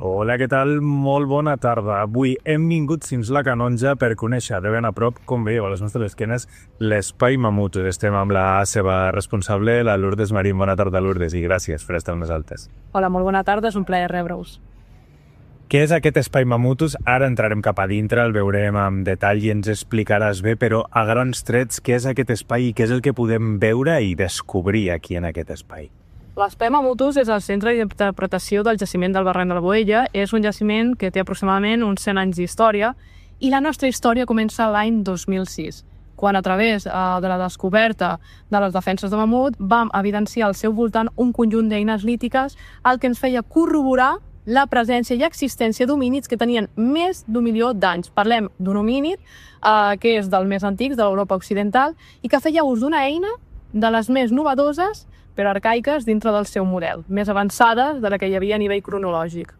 Hola, què tal? Molt bona tarda. Avui hem vingut fins la Canonja per conèixer de ben a prop, com veieu a les nostres esquenes, l'Espai Mamutus. Estem amb la seva responsable, la Lourdes Marín. Bona tarda, Lourdes, i gràcies per estar més altes. Hola, molt bona tarda, és un plaer rebre-us. Què és aquest Espai Mamutus? Ara entrarem cap a dintre, el veurem amb detall i ens explicaràs bé, però a grans trets, què és aquest espai i què és el que podem veure i descobrir aquí en aquest espai? L'Espai Mamutus és el centre d'interpretació del jaciment del barranc de la Boella. És un jaciment que té aproximadament uns 100 anys d'història i la nostra història comença l'any 2006, quan a través de la descoberta de les defenses de mamut vam evidenciar al seu voltant un conjunt d'eines lítiques, el que ens feia corroborar la presència i existència d'homínids que tenien més d'1 milió d'anys. Parlem d'un homínid que és dels més antics de l'Europa occidental i que feia ús d'una eina de les més novedoses però arcaiques dintre del seu model, més avançades de la que hi havia a nivell cronològic.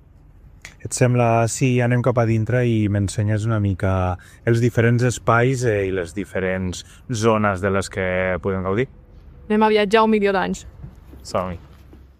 Et sembla si anem cap a dintre i m'ensenyes una mica els diferents espais i les diferents zones de les que podem gaudir? Anem a viatjar 1 milió d'anys. Som-hi.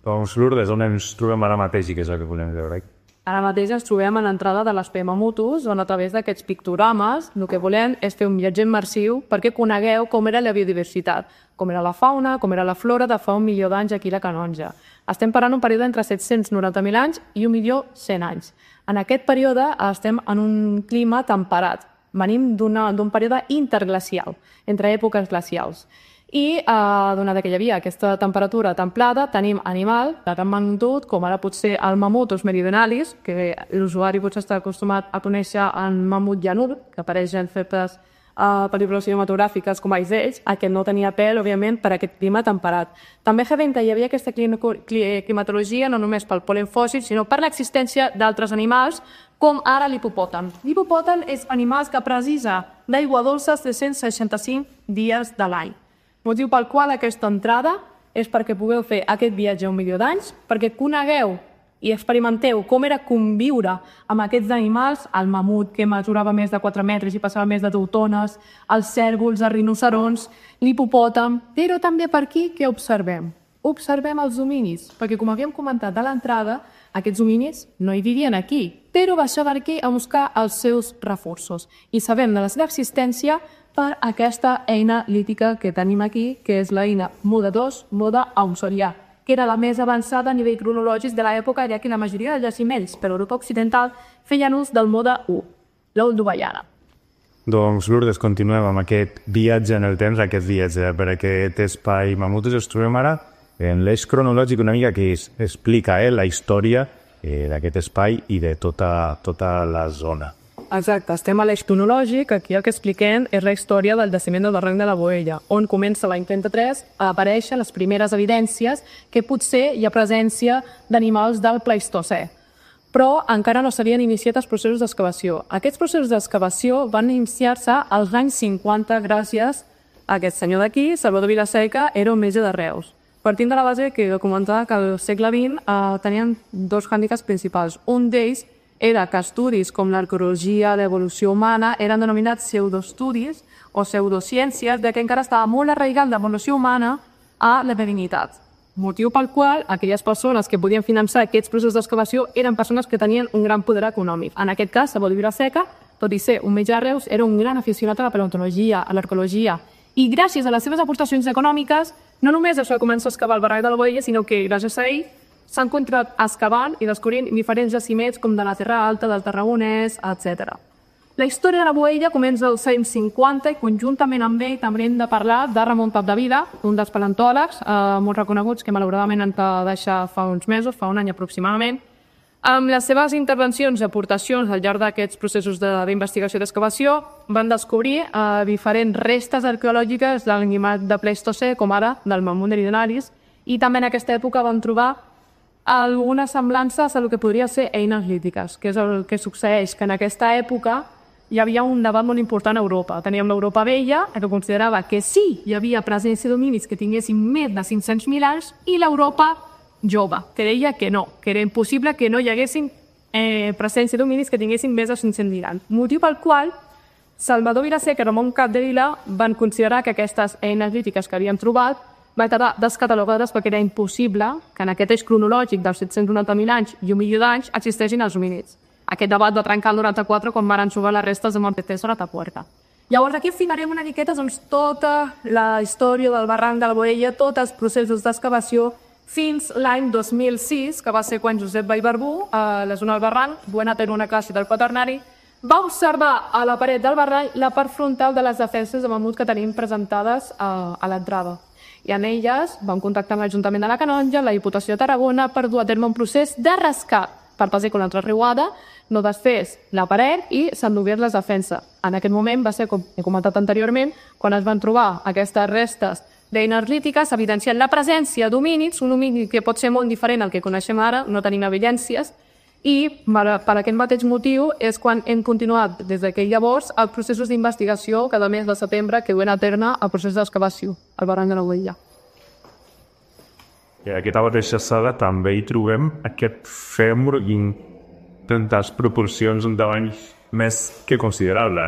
Doncs, Lourdes, on ens trobem ara mateix i què és el que volem veure? Ara mateix ens trobem a l'entrada de l'Espai Mamutus, on a través d'aquests pictogrames el que volem és fer un viatge immersiu perquè conegueu com era la biodiversitat, com era la fauna, com era la flora de fa 1 milió d'anys aquí a la Canonja. Estem parlant un període entre 790.000 anys i 1.100.000 anys. En aquest període estem en un clima temperat. Venim d'un període interglacial, entre èpoques glacials. I donat que hi havia aquesta temperatura templada, tenim animal de gran magnitud, com ara potser el Mamutus meridionalis, que l'usuari potser està acostumat a conèixer en mamut llanur, que apareix en fepes pel·lícules cinematogràfiques com Ells, aquest no tenia pèl, òbviament, per aquest clima temperat. També hi havia aquesta climatologia no només pel pol·len fòssil, sinó per l'existència d'altres animals, com ara l'hipopòtam. L'hipopòtam és animals que precisa d'aigua dolça 365 dies de l'any. Motiu pel qual aquesta entrada és perquè pugueu fer aquest viatge a 1 milió d'anys, perquè conegueu i experimenteu com era conviure amb aquests animals, el mamut que mesurava més de 4 metres i passava més de 2 tones, els cèrvols, els rinocerons, l'hipopòtam, però també per aquí què observem? Observem els homínids, perquè com havíem comentat a l'entrada, aquests homínids no hi vivien aquí, però baixaven aquí a buscar els seus reforços i sabem de la seva existència per aquesta eina lítica que tenim aquí, que és l'eina Muda II, Muda Ausorià, que era la més avançada a nivell cronològic de l'època, ja que la majoria de jaciments per Europa Occidental feien ús del Muda I, l'Olduvaiana. Doncs, Lourdes, continuem amb aquest viatge en el temps, aquest viatge per aquest espai Mamutus. Ens trobem ara en l'eix cronològic una mica que explica la història d'aquest espai i de tota la zona. Exacte, estem a l'eix cronològic, aquí el que expliquem és la història del jaciment del barranc de la Boella, on comença l'any 33 a aparèixer les primeres evidències que potser hi ha presència d'animals del Pleistocè. Però encara no s'havien iniciat els processos d'excavació. Aquests processos d'excavació van iniciar-se als anys 50 gràcies a aquest senyor d'aquí, Salvador Vilaseca, era un metge de Reus. Partint de la base que comentava que al segle XX tenien 2 hàndicaps principals. Un d'ells era que estudis com l'arqueologia, l'evolució humana, eren denominats pseudoestudis o pseudociències, que encara estava molt arraigat l'evolució humana a la divinitat. Motiu pel qual aquelles persones que podien finançar aquests processos d'excavació eren persones que tenien un gran poder econòmic. En aquest cas, Salvador Vilaseca, tot i ser un metge de Reus, era un gran aficionat a la paleontologia, a l'arqueologia, i gràcies a les seves aportacions econòmiques, no només es va començar a excavar el barranc de la Boella, sinó que gràcies a ell s'han continuat excavant i descobrint diferents jaciments com de la Terra Alta, del Tarragonès, etc. La història de la Boella comença als anys 50 i conjuntament amb ell també hem de parlar de Ramon Capdevila, un dels paleontòlegs molt reconeguts que malauradament han de deixar fa uns mesos, fa un any aproximadament. Amb les seves intervencions i aportacions al llarg d'aquests processos d'investigació i d'excavació van descobrir diferents restes arqueològiques de l'animal de Pleistocè, com ara del mamut meridionalis, i també en aquesta època van trobar algunes semblances a el que podria ser eines lítiques, que és el que succeeix, que en aquesta època hi havia un debat molt important a Europa. Teníem l'Europa vella, que considerava que sí, hi havia presència d'homínids que tinguessin més de 500.000 anys, i l'Europa jove, que deia que no, que era impossible que no hi haguessin presència d'homínids que tinguessin més de 500.000 anys. Motiu pel qual Salvador Vilaseca i Ramon Capdevila van considerar que aquestes eines lítiques que havien trobat va quedar descatalogades perquè era impossible que en aquest eix cronològic dels 790.000 anys i 1 milió d'anys existeixin els homínids. Aquest debat va trencar el 94 quan van trobar les restes de Mortetes a Atapuerca. Llavors aquí afinarem una miqueta tota la història del barranc de la Boella, tots els processos d'excavació fins l'any 2006, que va ser quan Josep Vallverdú, a la zona del barranc, duent a terme una classe del quaternari, va observar a la paret del barranc la part frontal de les defenses de mamut que tenim presentades a l'entrada. I en elles vam contactar amb l'Ajuntament de la Canonja, la Diputació de Tarragona, per dur a terme un procés de rescat per pasar con l'altra riuada, no desfés la paret i s'endugués les defenses. En aquest moment va ser, com he comentat anteriorment, quan es van trobar aquestes restes d'eines lítiques evidenciant la presència d'homínids, un homínid que pot ser molt diferent al que coneixem ara, no tenim evidències, i per aquest mateix motiu és quan hem continuat des d'aquell llavors els processos d'investigació cada mes de setembre que duen a terme el procés d'excavació al barranc de la Boella. I a aquesta mateixa sala també hi trobem aquest fèmur en tantes proporcions, un tamany més que considerable.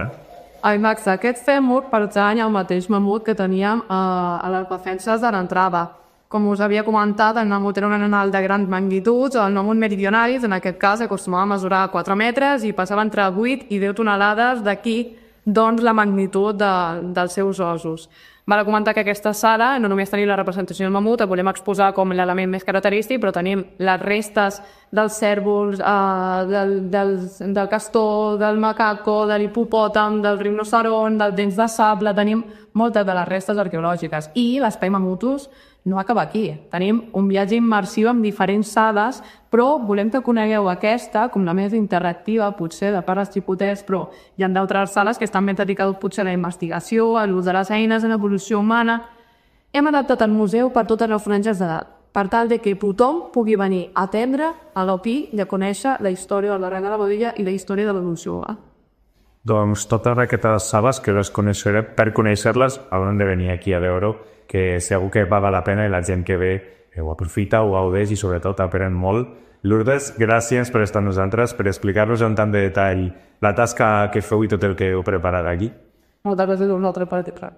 Ai, Max, aquest fèmur pertany al mateix mamut que teníem a les defenses de l'entrada. Com us havia comentat, el mamut era un animal de grans magnituds, el mamut meridionalis, en aquest cas, acostumava a mesurar 4 metres i passava entre 8 i 10 tonelades, d'aquí doncs la magnitud dels seus ossos. Val a comentar que aquesta sala no només tenim la representació del mamut, el volem exposar com l'element més característic, però tenim les restes dels cérvols, del castor, del macaco, de l'hipopòtam, del rinoceront, dels dents de sable, tenim moltes de les restes arqueològiques. I l'espai mamutus no acaba aquí. Tenim un viatge immersiu amb diferents sales, però volem que conegueu aquesta com la més interactiva, potser de part dels xipoters, però hi ha d'altres sales que estan més dedicades potser a la investigació, a l'ús de les eines, a l'evolució humana. Hem adaptat el museu per totes les franges d'edat, per tal de que tothom pugui venir a atendre, a l'opir i a conèixer la història del barranc de la Boella i la història de l'evolució humana. Doncs totes aquestes sales que les coneixeré, per conèixer-les hauran de venir aquí a veure, que segur que paga la pena i la gent que ve ho aprofita, ho gaudeix i sobretot aprèn molt. Lourdes, gràcies per estar amb nosaltres, per explicar-nos amb tant de detall la tasca que feu i tot el que heu preparat aquí. Moltes gràcies a vosaltres per atendre.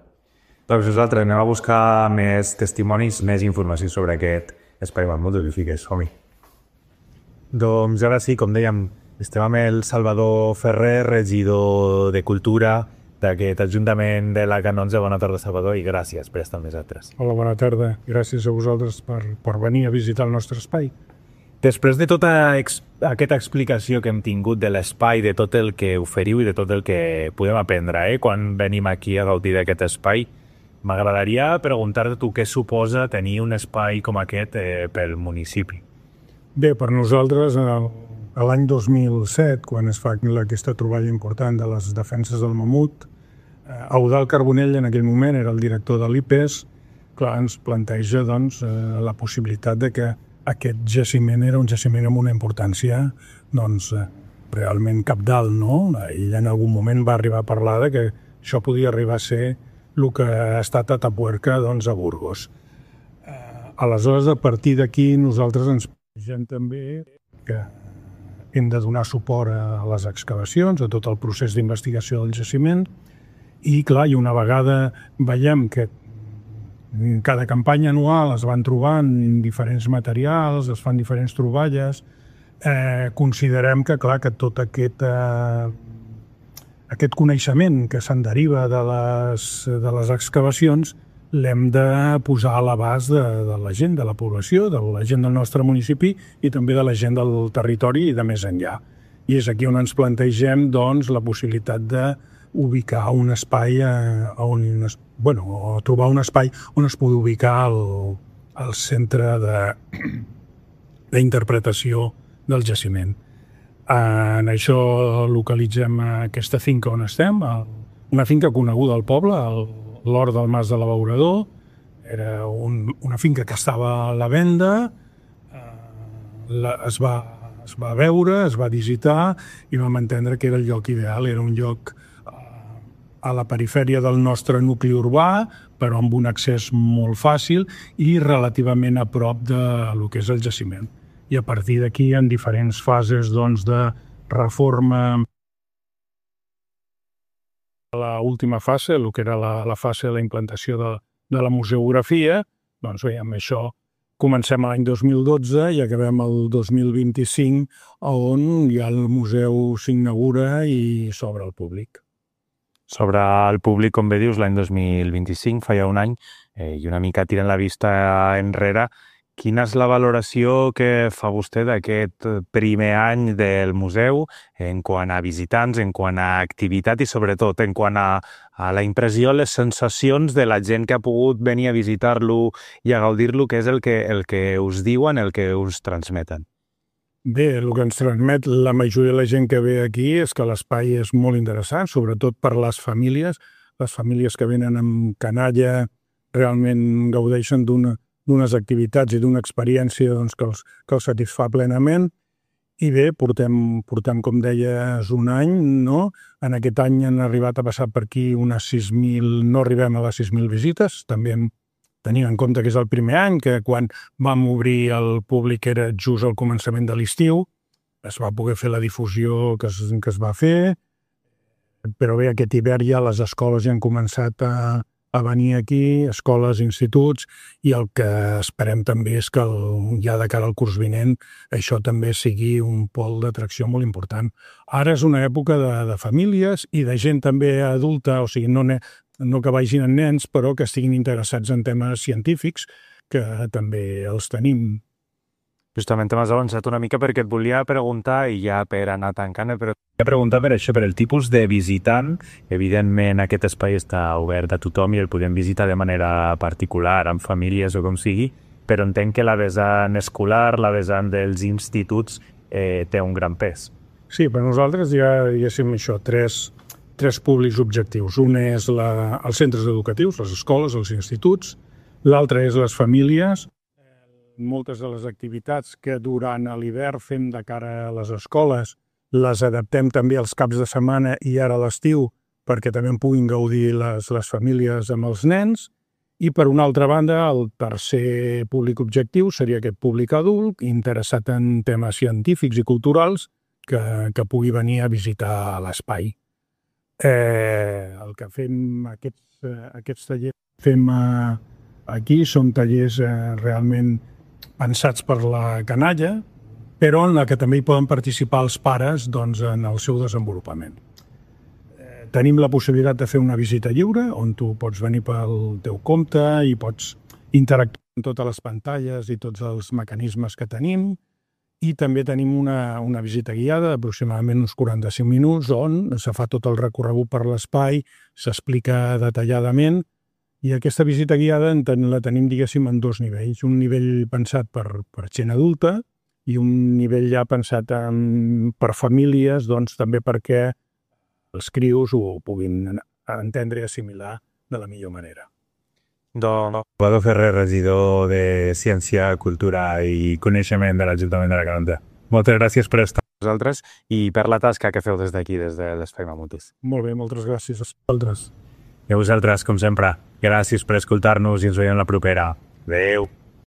Doncs nosaltres anem a buscar més testimonis, més informació sobre aquest espai mamut horrífiques. Som-hi. Doncs ara sí, com dèiem, estem amb el Salvador Ferrer, regidor de Cultura d'aquest Ajuntament de la Canonja. Bona tarda, Salvador, i gràcies per estar amb nosaltres. Hola, bona tarda. Gràcies a vosaltres per venir a visitar el nostre espai. Després de tota aquesta explicació que hem tingut de l'espai, de tot el que oferiu i de tot el que podem aprendre quan venim aquí a gaudir d'aquest espai, m'agradaria preguntar-te tu què suposa tenir un espai com aquest pel municipi. Bé, per nosaltres, l'any 2007, quan es fa aquesta troballa important de les defenses del mamut, Eudald Carbonell, en aquell moment, era el director de l'IPES, clar, ens planteja doncs, la possibilitat de que aquest jaciment era un jaciment amb una importància doncs, realment cabdal, no? Ell en algun moment va arribar a parlar de que això podia arribar a ser el que ha estat a Atapuerca doncs, a Burgos. Aleshores, a partir d'aquí, nosaltres ens plantegem també que hem de donar suport a les excavacions, a tot el procés d'investigació del jaciment, i clar, i una vegada veiem que cada campanya anual es van trobant diferents materials, es fan diferents troballes, considerem que, clar, que tot aquest coneixement que se'n deriva de les excavacions l'hem de posar a l'abast de la gent, de la població, de la gent del nostre municipi i també de la gent del territori i de més enllà. I és aquí on ens plantegem doncs, la possibilitat d'ubicar un espai, o trobar un espai on es pugui ubicar el centre d'interpretació del jaciment. En això localitzem aquesta finca on estem, una finca coneguda al poble, l'Hort del Mas de l'Abeurador. Era una finca que estava a la venda, es va veure, es va visitar i vam entendre que era el lloc ideal, era un lloc a la perifèria del nostre nucli urbà, però amb un accés molt fàcil i relativament a prop del que és el jaciment. I a partir d'aquí, en diferents fases doncs, de reforma, l'última fase, el que era la fase de la implantació de la museografia, Doncs bé, amb això comencem l'any 2012 i acabem el 2025, on ja el museu s'inaugura i s'obre al públic. Sobre el públic, com bé dius, l'any 2025, fa ja un any, i una mica tirant la vista enrere, quina és la valoració que fa vostè d'aquest primer any del museu en quant a visitants, en quant a activitat i sobretot en quant a la impressió, les sensacions de la gent que ha pogut venir a visitar-lo i a gaudir-lo, que és el que us diuen, el que us transmeten? Bé, el que ens transmet la majoria de la gent que ve aquí és que l'espai és molt interessant, sobretot per les famílies que venen amb canalla realment gaudeixen d'unes activitats i d'una experiència doncs, que els satisfà plenament. I bé, portem, com deies, un any, no? En aquest any han arribat a passar per aquí unes 6.000, no arribem a les 6.000 visites, també tenint en compte que és el primer any, que quan vam obrir el públic era just al començament de l'estiu, es va poder fer la difusió que es va fer, però bé, aquest hivern ja les escoles ja han començat a venir aquí, escoles, instituts, i el que esperem també és que ja de cara al curs vinent això també sigui un pol d'atracció molt important. Ara és una època de famílies i de gent també adulta, o sigui, no que vagin amb nens, però que estiguin interessats en temes científics, que també els tenim. Justament t'has avançat una mica perquè et volia preguntar, i ja per anar tancant, però volia preguntar per això, per el tipus de visitant. Evidentment aquest espai està obert a tothom i el podem visitar de manera particular, amb famílies o com sigui, però entenc que la vessant escolar, la vessant dels instituts té un gran pes. Sí, per nosaltres hi ha, diguéssim, això, tres públics objectius. Un és els centres educatius, les escoles, els instituts. L'altre és les famílies. Moltes de les activitats que durant l'hivern fem de cara a les escoles les adaptem també als caps de setmana i ara a l'estiu perquè també en puguin gaudir les famílies amb els nens. I per una altra banda, el tercer públic objectiu seria aquest públic adult interessat en temes científics i culturals que pugui venir a visitar l'espai. El que fem, aquests tallers fem aquí són tallers realment pensats per la canalla, però en la que també hi poden participar els pares doncs, en el seu desenvolupament. Tenim la possibilitat de fer una visita lliure, on tu pots venir pel teu compte i pots interactuar amb totes les pantalles i tots els mecanismes que tenim, i també tenim una visita guiada d'aproximadament uns 45 minuts on se fa tot el recorregut per l'espai, s'explica detalladament. I aquesta visita guiada la tenim, diguéssim, en dos nivells. Un nivell pensat per gent adulta i un nivell ja pensat per famílies, doncs també perquè els crios ho puguin entendre i assimilar de la millor manera. Doncs Salvador Ferrer, regidor de Ciència, Cultura i Coneixement de l'Ajuntament de la Canonja. Moltes gràcies per estar amb nosaltres i per la tasca que feu des d'aquí, des de l'Espai Mamutis. Molt bé, moltes gràcies a vosaltres. I a vosaltres, com sempre, gràcies per escoltar-nos i ens veiem la propera. Adéu!